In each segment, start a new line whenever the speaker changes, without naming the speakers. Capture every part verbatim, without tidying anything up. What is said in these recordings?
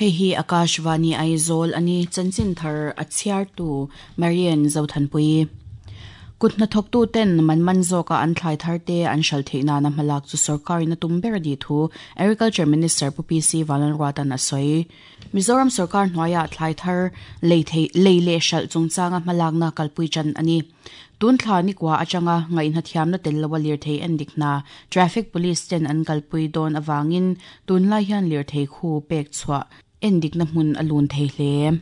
Hei hi Akashvani Aizawl ani chanchin thar a chhiartu Marian Zothanpui. Kut hnathawktu ten man man zawka an thlai thar te an hral theih nana hmalak chu sorkarin a tum ber a ni thu Agriculture Minister Pu P C Vanlalruatan a sawi. Mizoram sorkar hnuaiah thlai thar lei thei lei leh hralh chungchanga hmalakna kalpui chan a ni. Tun thla ni kua atanga ngaihna thiamna tel loa lirthei en dik hna traffic police ten an kalpui dawn awangin tunlai hian lirthei khu pek chhuah en dikna hmun a lun thei hle.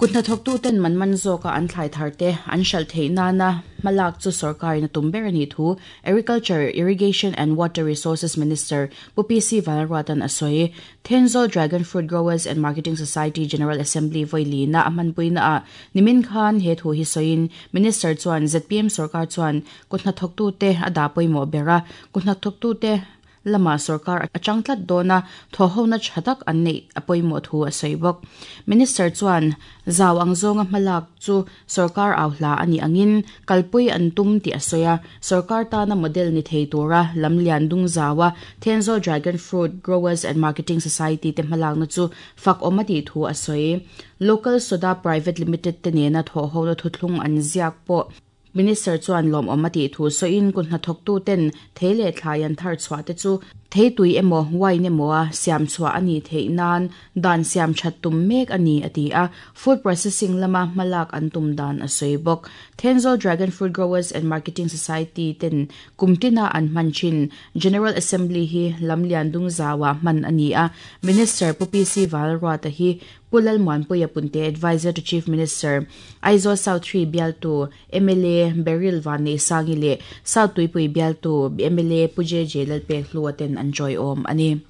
Kut hnathawktu ten man man zawka an thlai thar te an hralh theih nana hmalak chu sorkarin a tum ber a ni thu Agriculture, Irrigation and Water Resources Minister Pu P C Vanlalruatan a sawi. Thenzawl Dragon Fruit Growers and Marketing Society General Assembly vawi na a hmanpuina ah nimin khan he thu hi sawiin Minister chuan Z P M sarkar chuan kut hnathawktu te a dah pawimawh ber a, kut hnathawktu te lama sarkar a changtlat dawna thawhhona thatak an nei a pawimawh thu a sawi bawk. Minister chuan zau ang zawnga hmalak chu sarkar au hla ani angin kalpui an tum ti a sawi a, sarkar tana model ni thei tura lamlian dung zawa Thenzawl Dragon Fruit Growers and Marketing Society te hmalak na chu fak awm a tih thu a sawi. Local Soda Private Limited te nena thawhhona thuthlung an ziak pawh Minister chuan lawm awm a tih thu sawiin kut hnathawktu ten thei leh thlai an thar chhuah te chu thei tui emaw wine emaw a siam chhuah ani theih nan dan siam that tum mek ani a ti a, food processing lama hmalak an tum dan a sawi bawk. Thenzawl Dragon Fruit Growers and Marketing Society ten kumtina an hman thin General Assembly hi lamlian dung zawa hman ani a, Minister Pu P C Vanlalruata hi Pu Lalmuanpuia Punte Advisor to Chief Minister Aizawl South three bialtu M L A Beryl Vanneihsangi leh South Tuipui bialtu M L A Pu J J Lalpek Hlua ten an joy awm ani.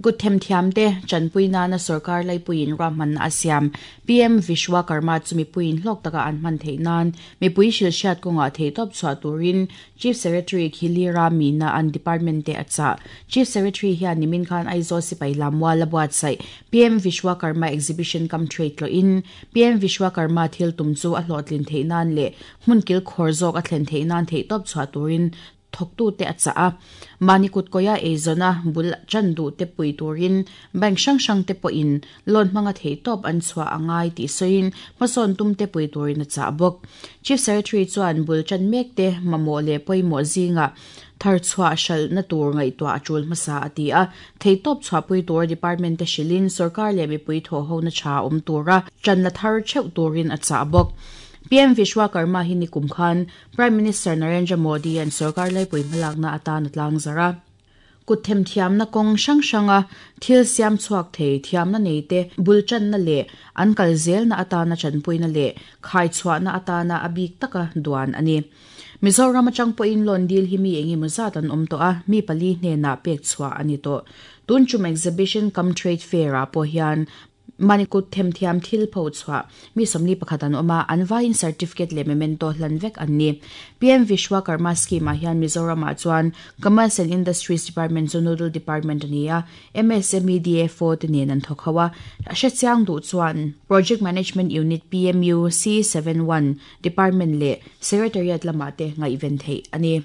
Kut them thiam te chanpui nana sarkar laipuiin rahman a siam P M Vishwakarma chu mipuiin hlawk taka an hman theih nan mipui hrilhhriat kawnga thei tawp chhuah turin Chief Secretary Khilira Mina an department te a chah. Chief Secretary hian nimin khan Aizawl sipai lamwal a buatsaih P M Vishwakarma exhibition cum trade tloin P M Vishwakarma thil tum chu a hlawhtlin theih nan leh hmun kil khawr zawk a thlen theih nan thei tawp chhuah turin thawktu te a chah a. Mani kut koya eizona bul chandu te pui turin bank hrang hrang te pawhin loan hmanga thei tawp an chhuah angai tih sawiin hmasawn tum te pui turin a chah bawk. Chief Secretary chuan bul chan mek te mamawh leh pawimawh zinga thar chhuah hralh na tur ngaihtuah a tul hmasa a ti a, thei tawp chhuah pui tur department te hrilhin sarkar leh mipui thawhhona tha awm tura chan la thar theuh turin a chah bawk. P M Vishwakarma hi nikum khan Prime Minister Narendra Modi an sarkar laipui hmalakna atan a tlang zara. Kut them thiamna kawng hrang hranga thil siam chhuak thei thiamna nei te bul channa leh an kal zelna atana chanpuina leh khai chhuahna atana a bik taka duan ani. Mizoram atang pawhin loan deal hi mi engemaw zat an awm tawh a, mi pali hnenah pek chhuah ani tawh. Tun tum exhibition cum trade fair ah pawh hian manikut them thiam thil pho chhuah mi somli pakhat an awm a, an vaiin certificate leh memento hlan vek an ni. P M Vishwakarma scheme ah hian Mizoram ah chuan Commerce and Industries Department chu Nodal Department ani a, M S M E D F O te nen an thawk ho a, a hrechiang duh chuan Project Management Unit P M U C seven one Department leh Secretariat lamah te ngaihven theih ani.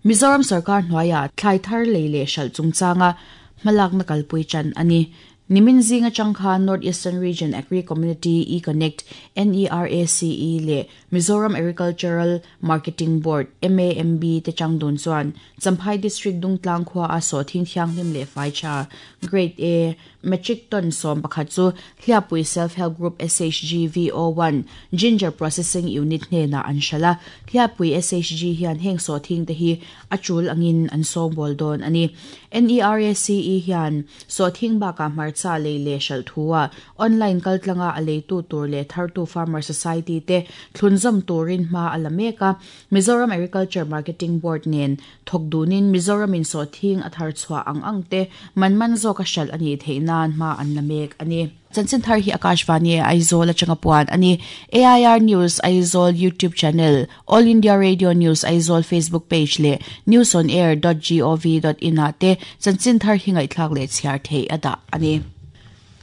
Mizoram sarkar hnuaiah thlai thar lei leh hralh chungchanga hmalakna kalpui chan ani. Nimin zinga changkha North Eastern Region Agri Community E-Connect N E R A C E le Mizoram Agricultural Marketing Board M A M B te changdun chuan Champhai District Dungtlang khua a so thing thianghlim le fai cha Grade A metric ton som pakhat chu Hliapui Self Help Group S H G V O one Ginger Processing Unit hnena an hrala. Hliapui S H G hian heng so thing te hi a chul angin an sawng bol dawn ani. N E R A C E hian so thing baka hmarcha lei le hral thua online kaltlanga a leitu tur le thartu Farmer Society te thlunzam turin hma a la mek a. Mizoram Agriculture Marketing Board nen thawkdunin Mizoram in so thing a thar chhuah ang ang te man man zawk a hral ani theih nan hma an la mek ani. Chanchin thar hi Akashvani Aizawl atanga puan ani. A I R News Aizawl YouTube channel, All India Radio News Aizawl Facebook page le news on air dot gov dot in ah te chanchin thar hi ngaihthlak leh chhiar thei a dah ani.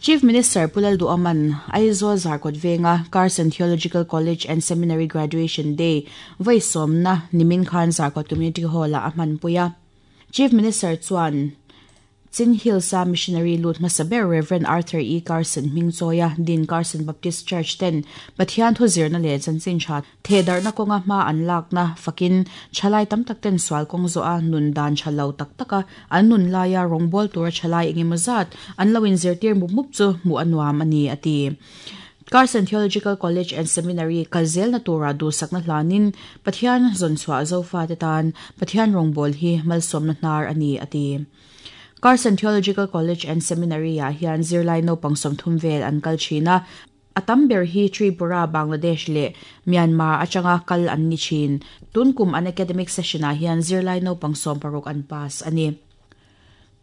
Chief Minister Pu Lalduhoma'n Aizawl Zarkawt Venga Carson Theological College and Seminary Graduation Day vawi sawmna nimin khan Zarkawt Community Hall ah a hmanpui a. Chief Minister chuan Chin Hills a missionary lut hmasa ber Reverend Arthur E. Carson hming chawia din Carson Baptist Church ten Pathian thu zirna leh chanchin tha thehdarhna kawnga hma an lakna fakin thalai tam tak ten sual kawng zawh a nun dan tha lo tak taka an nun laia rawngbawl tura thalai engemaw zat an lo inzirtir mup mup chu hmuh a nuam a ni a ti. Carson Theological College and Seminary kalzel na tura duhsakna hlanin Pathian zawnchhuah zofa te tan Pathian rawngbawl hi malsawmna hnar a ni a ti. Carson Theological College and Seminary ah hian zirlai naupang sawmthum vel an kal thin a, a tam ber hi Tripura, Bangladesh leh Myanmar atanga kal an ni thin. Tun kum an academic session ah hian zirlai naupang sawm paruk an pass a ni.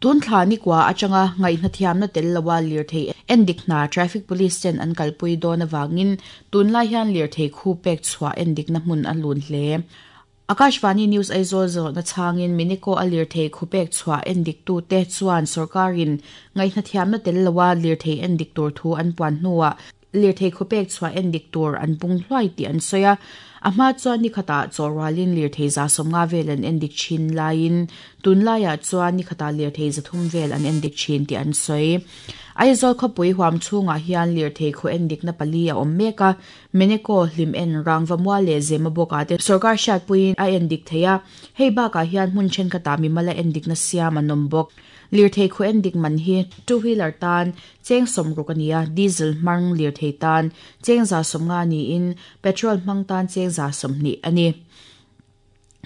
Tun thla ni kwa atanga ngaihna thiamna tel lowa lirthei endik hna traffic police ten an kalpui dawn awangin tunlai hian lirthei khu pek chhuah endikna hmun a lun hle. Akashvani News Aizawl zawhna chhangin Miniko a lirthei khu pek chhuah endik tu te chuan sarkarin ngaihna thiamna tel lowa lirthei endik tur thu an puan hnuah lirthei khu pek chhuah endik tur an pung hluai tih an sawi a. A hma chuan ni khatah chawrwalin lirthei za sawmnga vel an endik thin laiin tunlaiah chuan ni khatah lirthei zathum vel an endik thin tih an sawi. Aizawl khawpui huam chhungah hian lirthei khu endikna pali a awm mek a, Meneko hlim en rangva mual leh zema bawkah te sarkar hriatpuiin a endik thei a, hei bakah hian hmun thenkhatah mimala endikna siam an awm bawk. Lirthei khu endik man hi two wheeler tan cheng sawmruk a ni a, diesel hmang lirthei tan cheng za sawmnga niin petrol hmang tan cheng za sawmhnih a ni.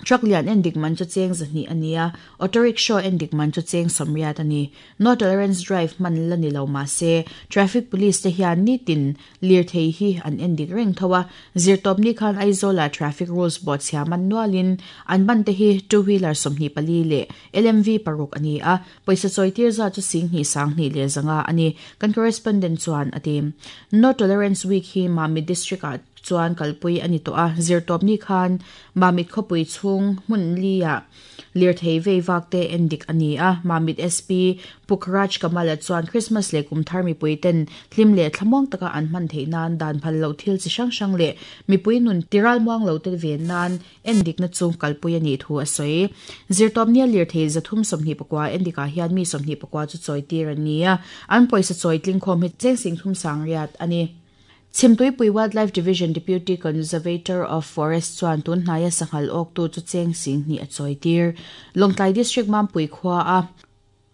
Truck lian endik man chu cheng zahnih a ni a, auto rickshaw endik man chu cheng sawmriat a ni. No tolerance drive man la ni lo ma se traffic police te hian nitin lirthei hi an endik reng tho a, zirtawp ni khan Aizawla traffic rules bawh chhia man nualin an ban te hi two wheeler sawmhnih pali leh L M V paruk a ni a, pawisa chawitir za chu singhnih sanghnih leh zanga a ni. Kan correspondent chuan a ti. No tolerance week hi Mamit district ah chuan kalpui a ni tawh a, zirtawp ni khan Mamit khawpui chhung hmun li ah lirthei vei vak te endik a ni a. Mamit S P Pukraj Kamala chuan Christmas leh kumthar mipui ten hlim leh thlamuang taka an hman theih nan dan phal lo thil chi hrang hrang leh mipui nun tiral muang lo te ven nan endikna chu kalpui a nih thu a sawi. Zirtawp nia lirthei zathum sawmhnih pakua endikah hian mi sawmhnih pakua chu chawitir an ni a, an pawisa chawi tlingkhawm hi cheng sing thum sang riat a ni. Chhimtuipui Wildlife Division Deputy Conservator of Forest chuan tun hnaia sanghal awk tu chu cheng singhnih a chawitir. Lawngtlai District Mampui khua a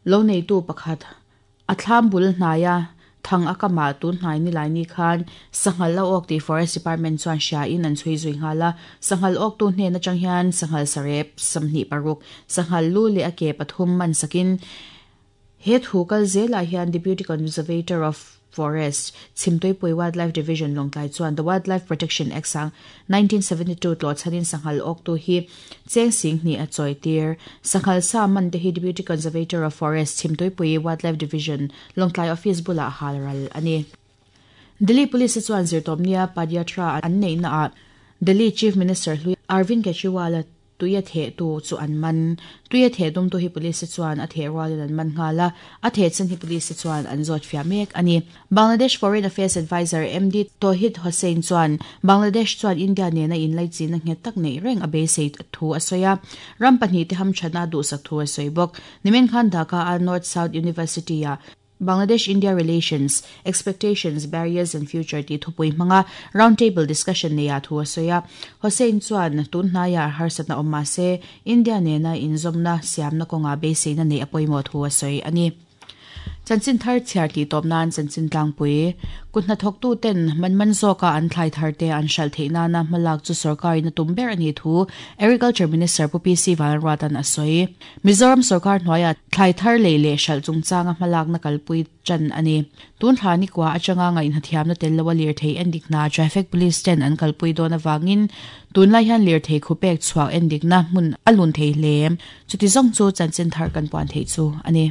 lo neitu pakhat a thlam bul hnaia thang a kama tun hnai ni lai ni khan sanghal lo awk ti Forest Department chuan hria in an chhui zui nghala. Sanghal awk tu hnen atang hian sanghal sarep sawmhnih paruk sanghal lu leh a ke pathum man sakin he thu kal zelah hian Deputy Conservator of Forest Chhimtuipui Wildlife Division Lawngtlai chuan The Wildlife Protection Act sang nineteen seventy-two tlaw chhanin sanghal awk tu hi cheng singhnih a chawitir. Sanghal sa man te hi Deputy Conservator of Forest Chhimtuipui Wildlife Division Lawngtlai Office bulah halral a ni. Delhi Police chuan zirtawpnia Padyatra an neihna ah Delhi Chief Minister hlui Arvind Kejriwal tuia the tu chu an man. Tuia the dum tu hi police chuan a the rualin an man nghala, a the chen hi police chuan an zawt fia mek ani. Bangladesh Foreign Affairs Advisor M D Tohid Hossain chuan Bangladesh chuan India nena inlai china nghet tak nei reng a beisei thu a sawi a, ram pahnih te ham thana duhsak thu a sawi bawk. Nimin khan Dhaka a North South University a Bangladesh-India Relations, Expectations, Barriers and Future ti thupui hmanga roundtable discussion neia thu a sawi a. Hossain chuan tun hnaia harsatna awm ma se India nena inzawmna siamna kawnga beiseina nei a pawimawh thu a sawi a ni. Chanchin thar chhiar ti tawp nan chanchin tlangpui kut hnathawk tu ten man man zawka an thlai thar te an hral theih nana hmalak chu sarkarin a tum ber a ni thu Agriculture Minister Pu P C Vanruatan a sawi. Mizoram sarkar hnuaia thlai thar lei leh hral chungchanga hmalakna kalpui chan a ni. Tun thla ni kwa atanga ngaihna thiamna tel lowa lirthei endikna traffic police ten an kalpui dawn awangin tunlai hian lirthei khu pek chhuak endikna hmun a lun thei hle. Chuti zawng chu chanchin thar kan puan thei chu a ni.